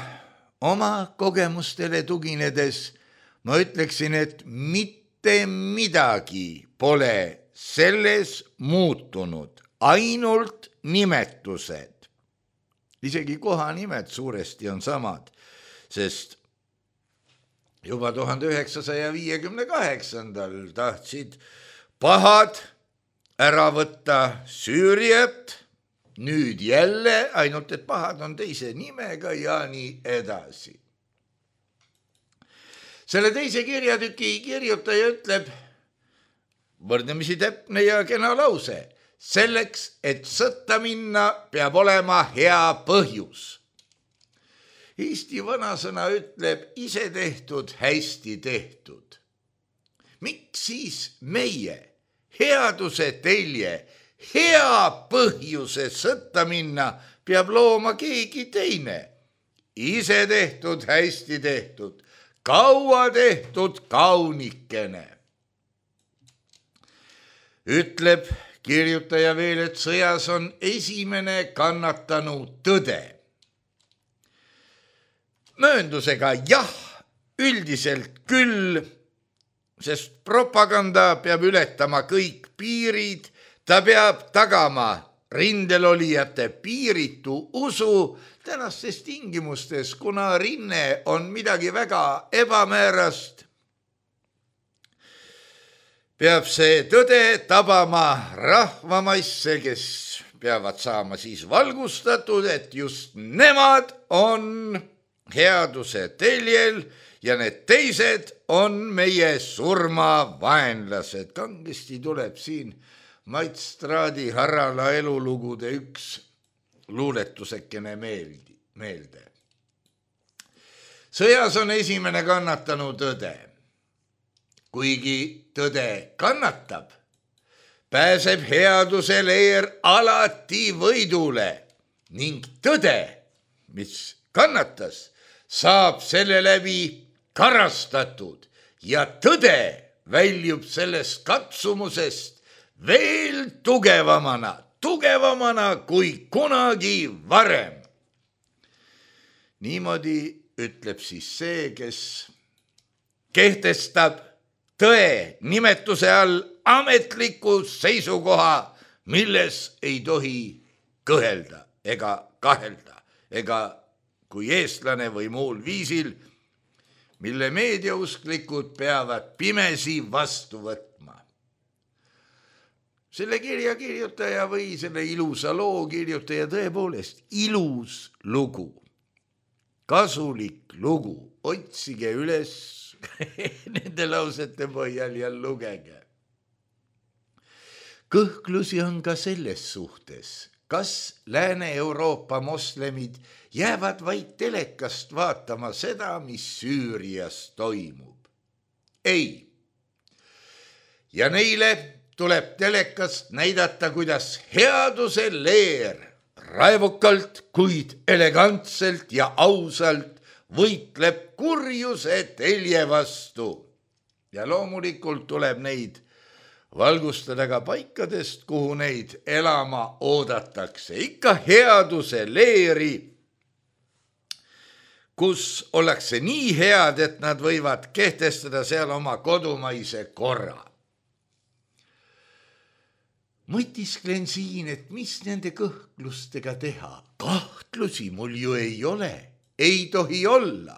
oma kogemustele tuginedes ma ütleksin, et mitte midagi pole selles muutunud, ainult nimetused. Isegi kohanimed suuresti on samad, sest juba 1958. tahtsid pahad ära võtta Süüriat, nüüd jälle, ainult et pahad on teise nimega ja nii edasi. Selle teise kirjatüki kirjutaja ütleb, võrdlemisi täpne ja kena lause, selleks, et sõtta minna, peab olema hea põhjus. Eesti vanasõna ütleb, ise tehtud, hästi tehtud. Miks siis meie, headuse telje, hea põhjuse sõtta minna, peab looma keegi teine? Ise tehtud, hästi tehtud, kaua tehtud, kaunikene. Ütleb kirjutaja veel, et sõjas on esimene kannatanu tõde. Mööndusega jah, üldiselt küll, sest propaganda peab ületama kõik piirid, ta peab tagama rindelolijate piiritu usu tänastes tingimustes, kuna rinne on midagi väga ebamäärast. Peab see tõde tabama rahvamaisse, kes peavad saama siis valgustatud, et just nemad on headuse teljel ja need teised on meie surmavaenlased. Kangesti tuleb siin Mait Straadi Harala elulugude üks luuletusekene meelde. Sõjas on esimene kannatanu tõde. Kuigi tõde kannatab, pääseb headuse leer alati võidule ning tõde, mis kannatas, saab selle läbi karastatud ja tõde väljub sellest katsumusest veel tugevamana kui kunagi varem. Niimoodi ütleb siis see, kes kehtestab tõe nimetuse all ametliku seisukoha, milles ei tohi kõhelda ega kahelda, ega kui eestlane või muul viisil, mille meediausklikud peavad pimesi vastu võtma. Selle kirja kirjutaja või selle ilusa loo kirjutaja tõepoolest ilus lugu, kasulik lugu, otsige üles nende lausete põhjal ja lugege. Kõhklusi on ka selles suhtes, kas Lääne-Euroopa moslemid jäävad vaid telekast vaatama seda, mis Süürias toimub. Ei. Ja neile tuleb telekast näidata, kuidas headuse leer raevukalt, kuid elegantselt ja ausalt võitleb kurjuse telje vastu. Ja loomulikult tuleb neid valgustada ka paikadest, kuhu neid elama oodatakse. Ikka headuse leeri, kus ollakse nii head, et nad võivad kehtestada seal oma kodumaise korra. Mõtisklen siin, et mis nende kõhklustega teha. Kahtlusi mul ju ei ole. Ei tohi olla.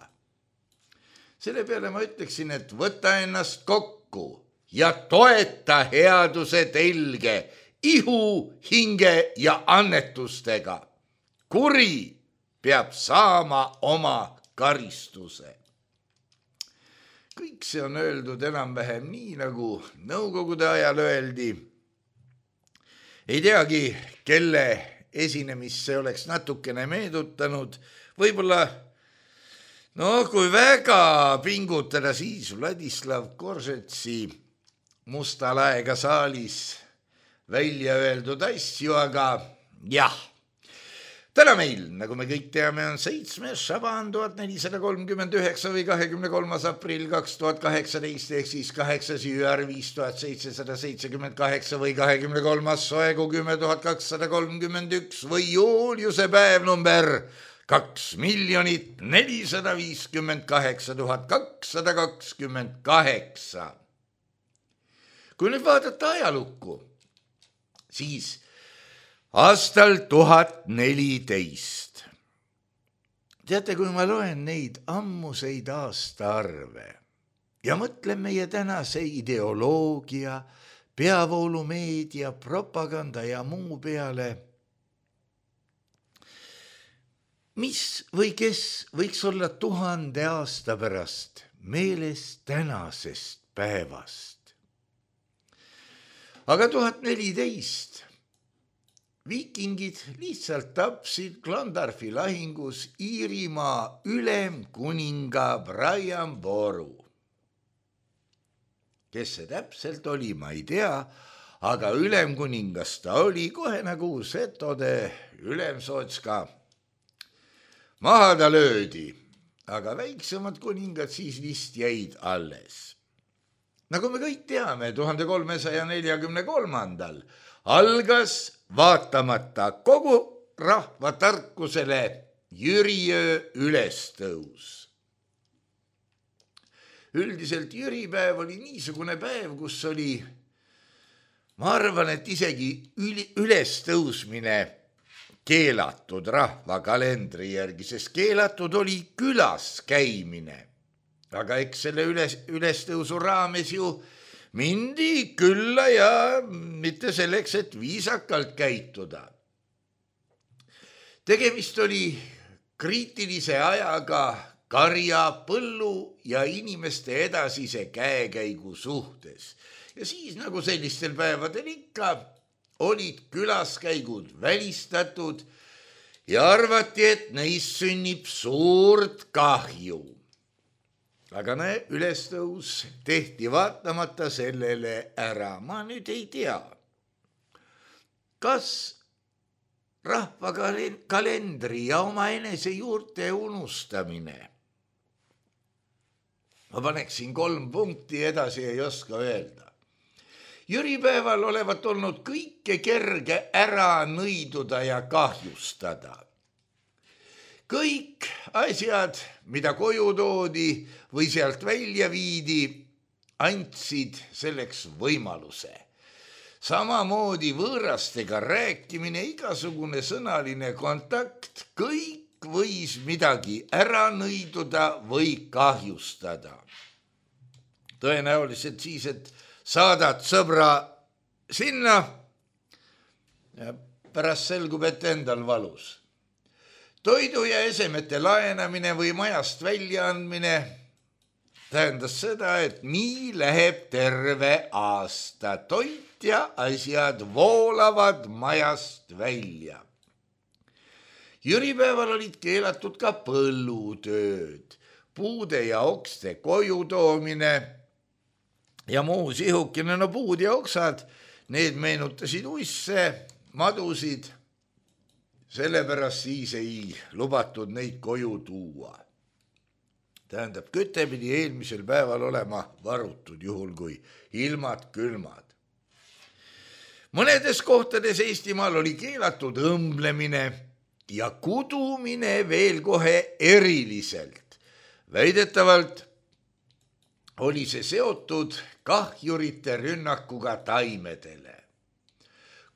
Selle peale ma ütleksin, et võta ennast kokku ja toeta headuse telge ihu, hinge ja annetustega. Kuri peab saama oma karistuse. Kõik see on öeldud enam-vähem nii, nagu Nõukogude ajal öeldi. Ei teagi, kelle esinemist see oleks natukene meedutanud, võib-olla No kui väga pingutada, siis Vladislav Korsetsi Musta laega saalis välja öeldud asju, aga jah. Täna meil, nagu me kõik teame, on 7. Šaban 1439 või 23. aprill 2018 ehk siis 8. jüär 5778 või 23. soegu 10231 või juuliuse päev number 2,458,228. Kui nüüd vaadata ajalukku, siis aastal 1014. Teate, kui ma loen neid ammuseid aastaarve ja mõtlen meie tänase ideoloogia, peavoolumeedia, propaganda ja muu peale, mis või kes võiks olla 1000 aasta pärast meeles tänasest päevast. Aga 1014 viikingid lihtsalt tapsid Clontarfi lahingus Iirimaa ülemkuninga Brian Boru. Kes see täpselt oli, ma ei tea, aga ülemkuningas ta oli kohe nagu setode ülemsootska. Maha ta löödi, aga väiksemad kuningad siis vist jäid alles. Nagu me kõik teame, 1343. algas vaatamata kogu rahva tarkusele Jüriöö ülestõus. Üldiselt Jüripäev oli niisugune päev, kus oli, ma arvan, et isegi ülestõusmine keelatud rahva kalendri järgi, sest keelatud oli külas käimine. Aga eks selle ülestõusu raames ju mindi külla ja mitte selleks, et viisakalt käituda. Tegemist oli kriitilise ajaga karja, põllu ja inimeste edasise käekäigu suhtes. Ja siis, nagu sellistel päevadel ikka, olid külaskäigud välistatud ja arvati, et neist sünnib suurt kahju. Aga ülestõus tehti vaatamata sellele ära. Ma nüüd ei tea, kas rahva kalendri ja oma enese juurte unustamine. Ma paneksin 3 punkti, edasi ei oska öelda. Jüripäeval olevat olnud kõike kerge ära nõiduda ja kahjustada. Kõik asjad, mida koju toodi või sealt välja viidi, andsid selleks võimaluse. Samamoodi võõrastega rääkimine, igasugune sõnaline kontakt, kõik võis midagi ära nõiduda või kahjustada. Tõenäoliselt siis, et saadad sõbra sinna ja pärast selgub, et endal valus. Toidu ja esemete laenamine või majast väljaandmine tähendas seda, et nii läheb terve aasta. Toit ja asjad voolavad majast välja. Jüripäeval olid keelatud ka põllutööd, puude ja okste koju toomine ja muu sihukene. No puud ja oksad, need meenutasid uisse, madusid. Sellepärast siis ei lubatud neid koju tuua. Tähendab, küte pidi eelmisel päeval olema varutud, juhul kui ilmad külmad. Mõnedes kohtades Eestimaal oli keelatud õmblemine ja kudumine veel kohe eriliselt. Väidetavalt oli see seotud kahjurite rünnakuga taimedele.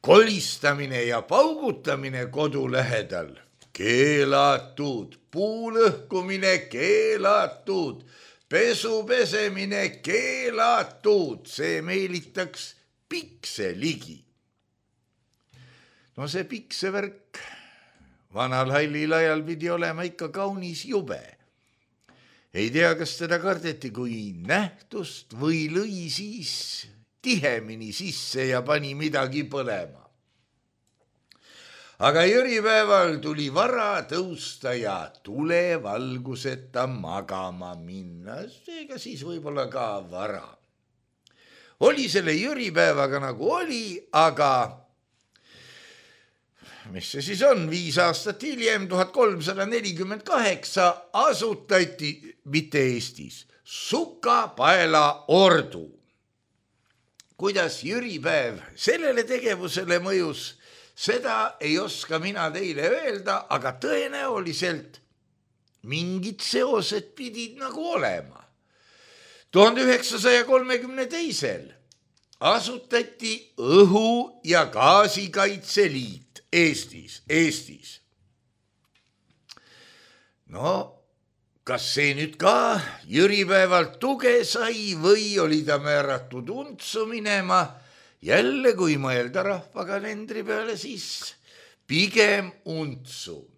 Kolistamine ja paugutamine kodu lähedal keelatud, puulõhkumine keelatud, pesu pesemine keelatud, see meelitaks pikse ligi. No see piksevärk vanal hallil ajal pidi olema ikka kaunis jube. Ei tea, kas teda kardeti kui nähtust või lõi siis tihemini sisse ja pani midagi põlema. aga jüripäeval tuli vara tõusta ja tulevalguseta magama minna, seega siis võib-olla ka vara. Oli selle jüripäevaga nagu oli, aga mis see siis on, 5 aastat hiljem, 1348 asutati, mitte Eestis, Sukapaela ordu. Kuidas jüripäev sellele tegevusele mõjus, seda ei oska mina teile öelda, aga tõenäoliselt mingid seosed pidid nagu olema. 1932. asutati Õhu- ja Gaasikaitseliit Eestis. No, kas see nüüd ka jüripäevalt tuge sai või oli ta määratud untsu minema? Jälle, kui mõelda rahvakalendri peale, siis pigem untsu.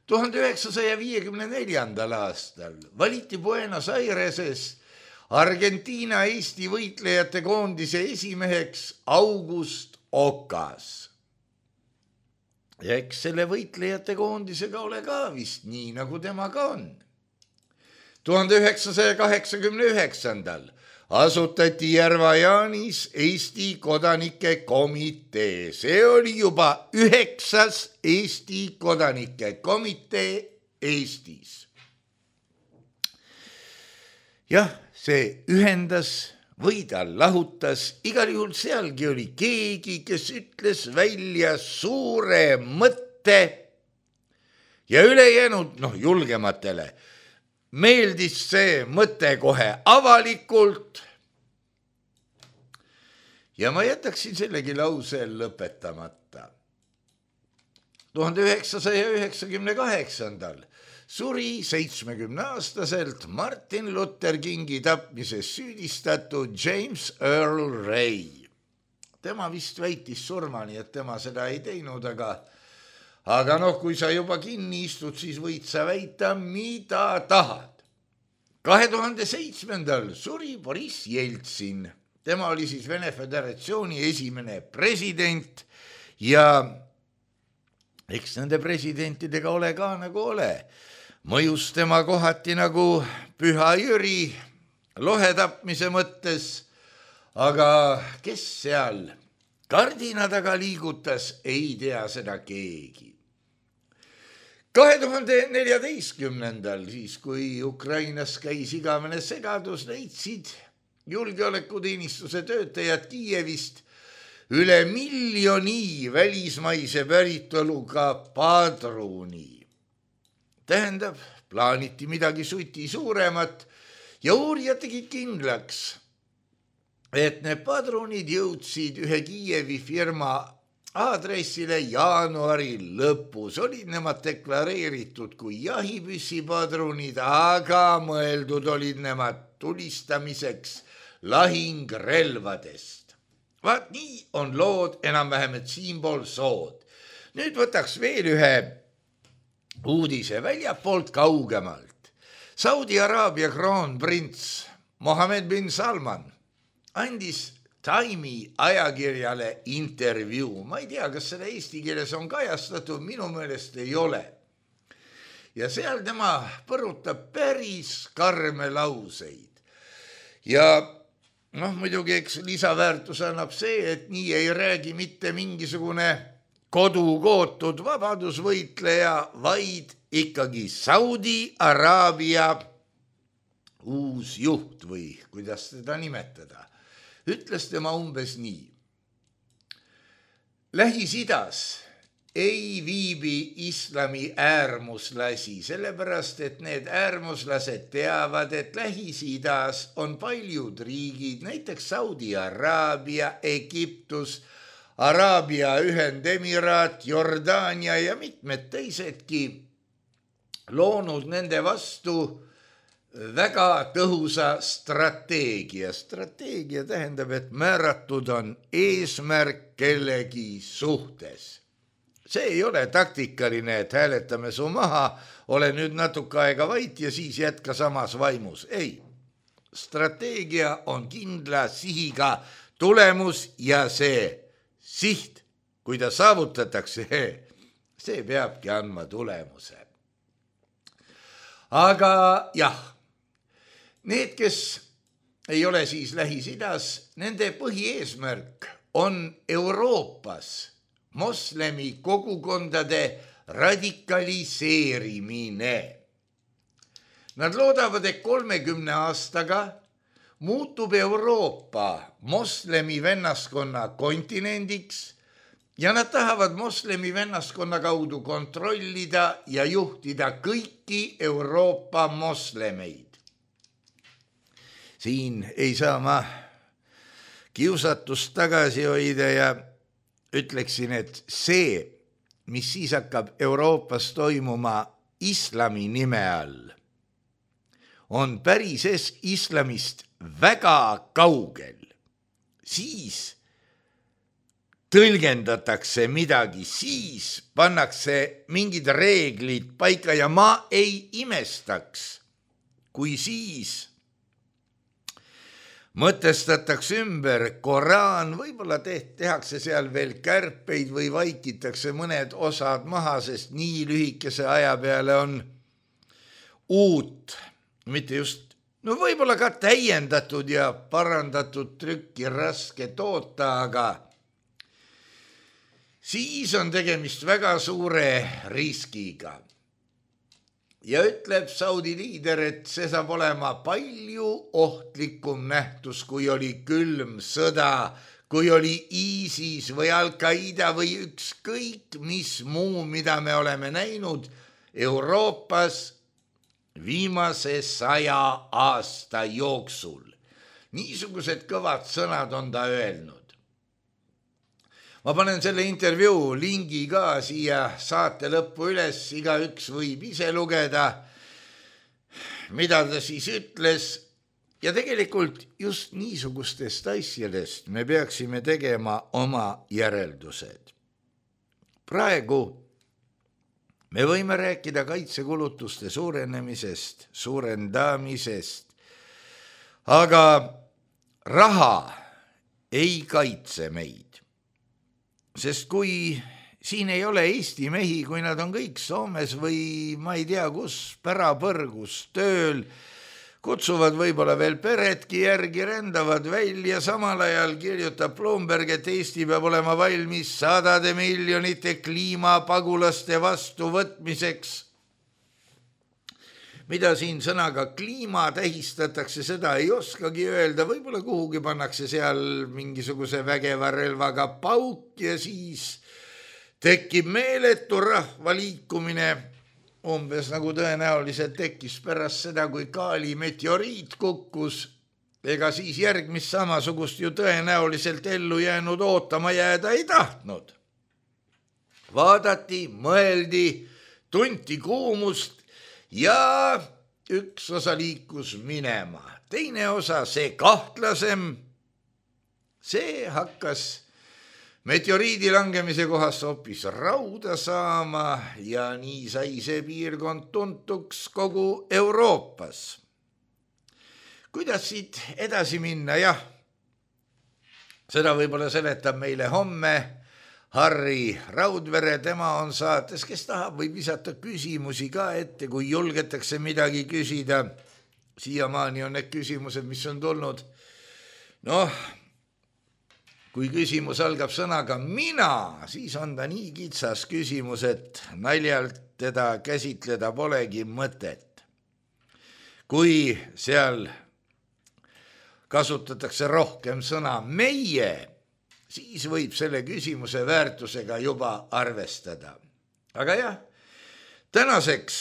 1954. aastal valiti Buenos Aireses Argentiina Eesti võitlejate koondise esimeheks August Okas. Ja eks selle võitlejate koondisega ole ka vist nii, nagu temaga on. 1989. asutati Järva-Jaanis Eesti kodanike komitee. See oli juba 9. Eesti kodanike komitee Eestis. Jah, see ühendas või ta lahutas, igal juhul sealgi oli keegi, kes ütles välja suure mõtte ja ülejäänud, julgematele meeldis see mõte kohe avalikult. Ja ma jätaksin sellegi lause lõpetamata. 1998. suri 70-aastaselt Martin Luther Kingi tapmises süüdistatud James Earl Ray. Tema vist väitis surmani, et tema seda ei teinud, aga kui sa juba kinni istud, siis võid sa väita, mida tahad. 2007. suri Boris Jeltsin. Tema oli siis Vene Föderatsiooni esimene president ja eks nende presidentidega ole ka nagu ole. Mõjus tema kohati nagu Püha Jüri lohetapmise mõttes, aga kes seal kardina taga liigutas, ei tea seda keegi. 2014. siis, kui Ukrainas käis igavene segadus, leidsid julgeolekuteenistuse töötajad Kiievist üle 1 miljoni välismaise päritoluga padruni. Tähendab, plaaniti midagi suti suuremat ja uurijad tegid kindlaks, et need padrunid jõudsid ühe Kiievi firma aadressile jaanuari lõpus. Olid nemad deklareeritud kui jahipüssipadrunid, aga mõeldud olid nemad tulistamiseks lahingrelvadest. Vaat nii on lood enam-vähem, et siinpool sood. Nüüd võtaks veel ühe uudise väljapoolt kaugemalt. Saudi Araabia kroonprints Mohammed bin Salman andis Time'i ajakirjale intervjuu. Ma ei tea, kas seda eesti keeles on kajastatud, minu meelest ei ole. Ja seal tema põrutab päris karme lauseid. Ja muidugi eks lisaväärtus annab see, et nii ei räägi mitte mingisugune kodukootud vabadusvõitleja, vaid ikkagi Saudi Araabia uus juht või kuidas teda nimetada. Ütles tema umbes nii. Lähis-Idas ei viibi islami äärmuslasi, sellepärast et need äärmuslased teavad, et Lähis-Idas on paljud riigid, näiteks Saudi Araabia, Egiptus, Araabia Ühendemiraat, Jordaania ja mitmed teisedki loonud nende vastu väga tõhusa strateegia. Strateegia tähendab, et määratud on eesmärk kellegi suhtes. See ei ole taktikaline, et hääletame su maha, ole nüüd natuke aega vait ja siis jätka samas vaimus. Ei, strateegia on kindla sihiga tulemus ja see siht kui ta saavutatakse, see peabki andma tulemuse. Aga jah, need, kes ei ole siis Lähis-Idas, nende põhieesmärk on Euroopas moslemi kogukondade radikaliseerimine. Nad loodavad, et 30 aastaga muutub Euroopa moslemi vennaskonna kontinendiks ja nad tahavad moslemi vennaskonna kaudu kontrollida ja juhtida kõiki Euroopa moslemeid. Siin ei saa ma kiusatust tagasi hoida ja ütleksin, et see, mis siis hakkab Euroopas toimuma islami nime all, on päris islamist väga kaugel. Siis tõlgendatakse midagi, siis pannakse mingid reeglid paika ja ma ei imestaks, kui siis mõtestatakse ümber Koraan, võib-olla tehakse seal veel kärpeid või vaikitakse mõned osad maha, sest nii lühikese aja peale on uut, mitte just, no võib-olla ka täiendatud ja parandatud trükki raske toota, aga siis on tegemist väga suure riskiga. Ja ütleb Saudi liider, et see saab olema palju ohtlikum nähtus, kui oli külm sõda, kui oli ISIS või Al-Qaida või ükskõik mis muu, mida me oleme näinud Euroopas viimase 100 aasta jooksul. Niisugused kõvad sõnad on ta öelnud. Ma panen selle intervjuu lingi ka siia saate lõppu üles, igaüks võib ise lugeda, mida ta siis ütles. Ja tegelikult just niisugustest asjadest me peaksime tegema oma järeldused. Praegu me võime rääkida kaitsekulutuste suurenemisest, suurendamisest, aga raha ei kaitse meid. Sest kui siin ei ole Eesti mehi, kui nad on kõik Soomes või ma ei tea kus, pärapõrgus tööl, kutsuvad võib-olla veel peredki järgi, rändavad välja, samal ajal kirjutab Bloomberg, et Eesti peab olema valmis 100 miljonite kliimapagulaste vastuvõtmiseks. Mida siin sõnaga kliima tähistatakse, seda ei oskagi öelda, võib-olla kuhugi pannakse seal mingisuguse vägeva relvaga pauk ja siis tekib meeletu rahvaliikumine, umbes nagu tõenäoliselt tekkis pärast seda, kui Kaali meteoriit kukkus, ega siis järgmist samasugust ju tõenäoliselt ellu jäänud ootama jääda ei tahtnud. Vaadati, mõeldi, tunti kuumust ja üks osa liikus minema. Teine osa, see kahtlasem, see hakkas meteoriidi langemise kohast hoopis rauda saama ja nii sai see piirkond tuntuks kogu Euroopas. Kuidas siit edasi minna? Jah, seda võib-olla seletab meile homme Harri Raudvere, tema on saates, kes tahab, võib visata küsimusi ka ette, kui julgetakse midagi küsida. Siiamaani on need küsimused, mis on tulnud. Noh, kui küsimus algab sõnaga mina, siis on ta nii kitsas küsimus, et naljalt teda käsitleda polegi mõtet. Kui seal kasutatakse rohkem sõna meie, siis võib selle küsimuse väärtusega juba arvestada. Aga jah, tänaseks,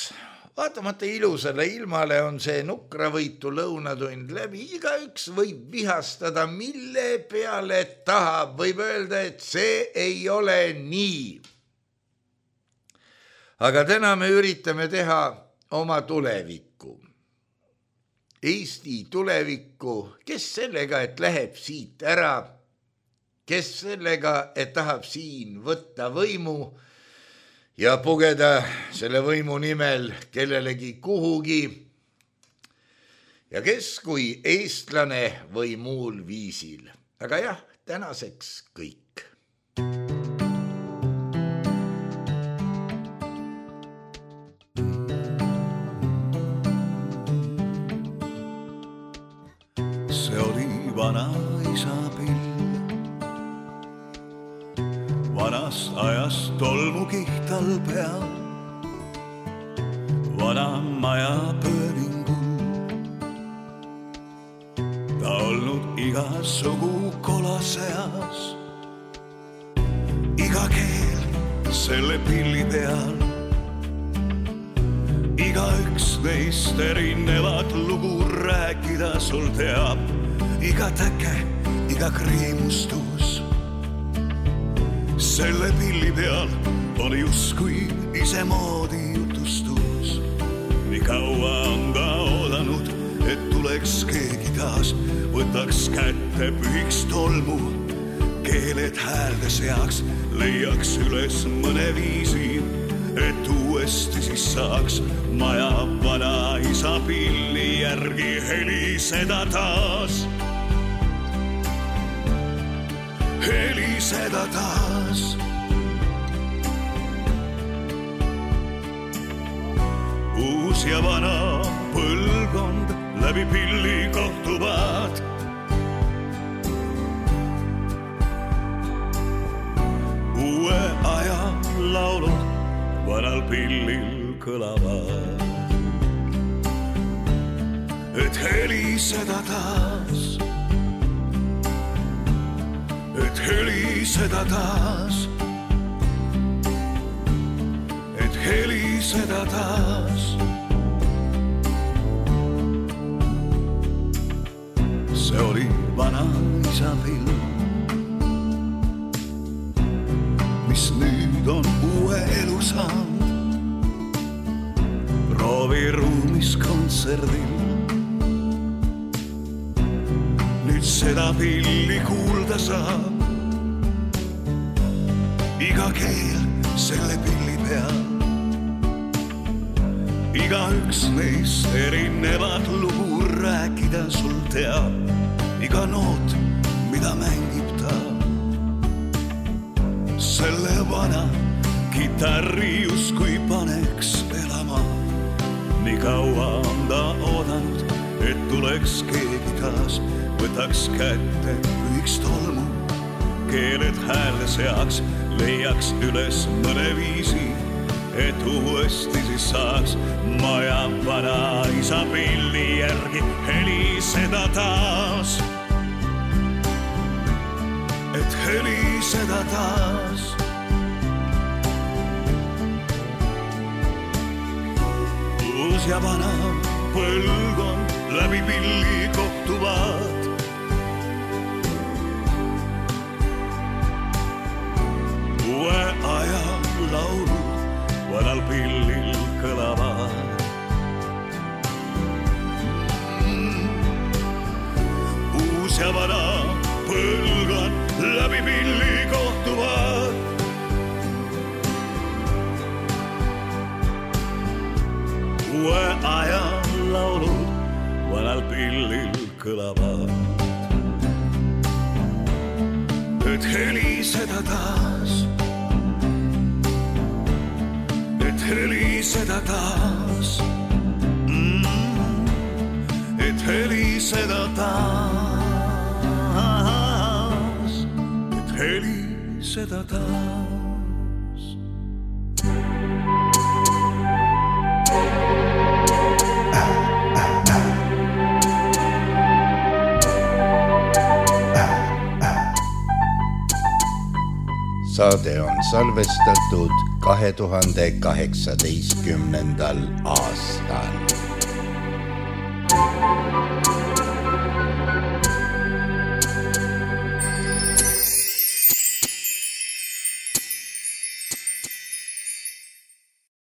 vaatamata ilusale ilmale on see nukravõitu lõunatund läbi, igaüks võib vihastada, mille peale tahab, võib öelda, et see ei ole nii. Aga täna me üritame teha oma tulevikku. Eesti tulevikku, kes sellega, et läheb siit ära, kes sellega, et tahab siin võtta võimu ja pugeda selle võimu nimel kellelegi kuhugi ja kes kui eestlane või muul viisil. Aga jah, tänaseks kõik. isapill. Vanast ajast tolmukiht all peal, vana maja pööningul. Ta olnud igasugu kola seas, iga keel selle pilli peal. Igaüks neist erinevat lugu rääkida sul teab, iga täke, iga kriimustus. Selle pilli peal on justkui isemoodi jutustus. Nii kaua on ta oodanud, et tuleks keegi taas, võtaks kätte, pühiks tolmu, keeled häälde seaks, leiaks üles mõne viisi, et uuesti siis saaks maja vana isa pilli järgi heliseda taas. Heliseda taas. Uus ja vana põlvkond läbi pilli kohtuvad. Uue aja laulud vanal pillil kõlavad. Et heliseda taas, et heliseda taas, et heliseda taas. See oli vana isa pill, mis nüüd on uue elu saanud. Prooviruumis kontserdil, nüüd seda pilli kuulda saab. Iga keel selle pilli peal, igaüks neist erinevat lugu rääkida sul teab. Iga noot, mida mängib ta, selle vana kitarri justkui paneks elama. Nii kaua on ta oodanud, et tuleks keegi taas, võtaks kätte, pühiks tolmu, keeled häälde seaks, leiaks üles mõne viisi, et uuesti siis saaks maja vana isa pilli järgi heliseda taas. Et heliseda taas. Uus ja vana põlvkond läbi pilli kohtuvad. Uue aja laulud vanal pillil kõlavad. Uus ja vana põlvkond läbi pilli kohtuvad. Uue aja laulud vanal pillil kõlavad. Et heliseda taas, et heliseda taas, et heliseda taas, et heliseda taas. Saade on salvestatud 2018. aastal.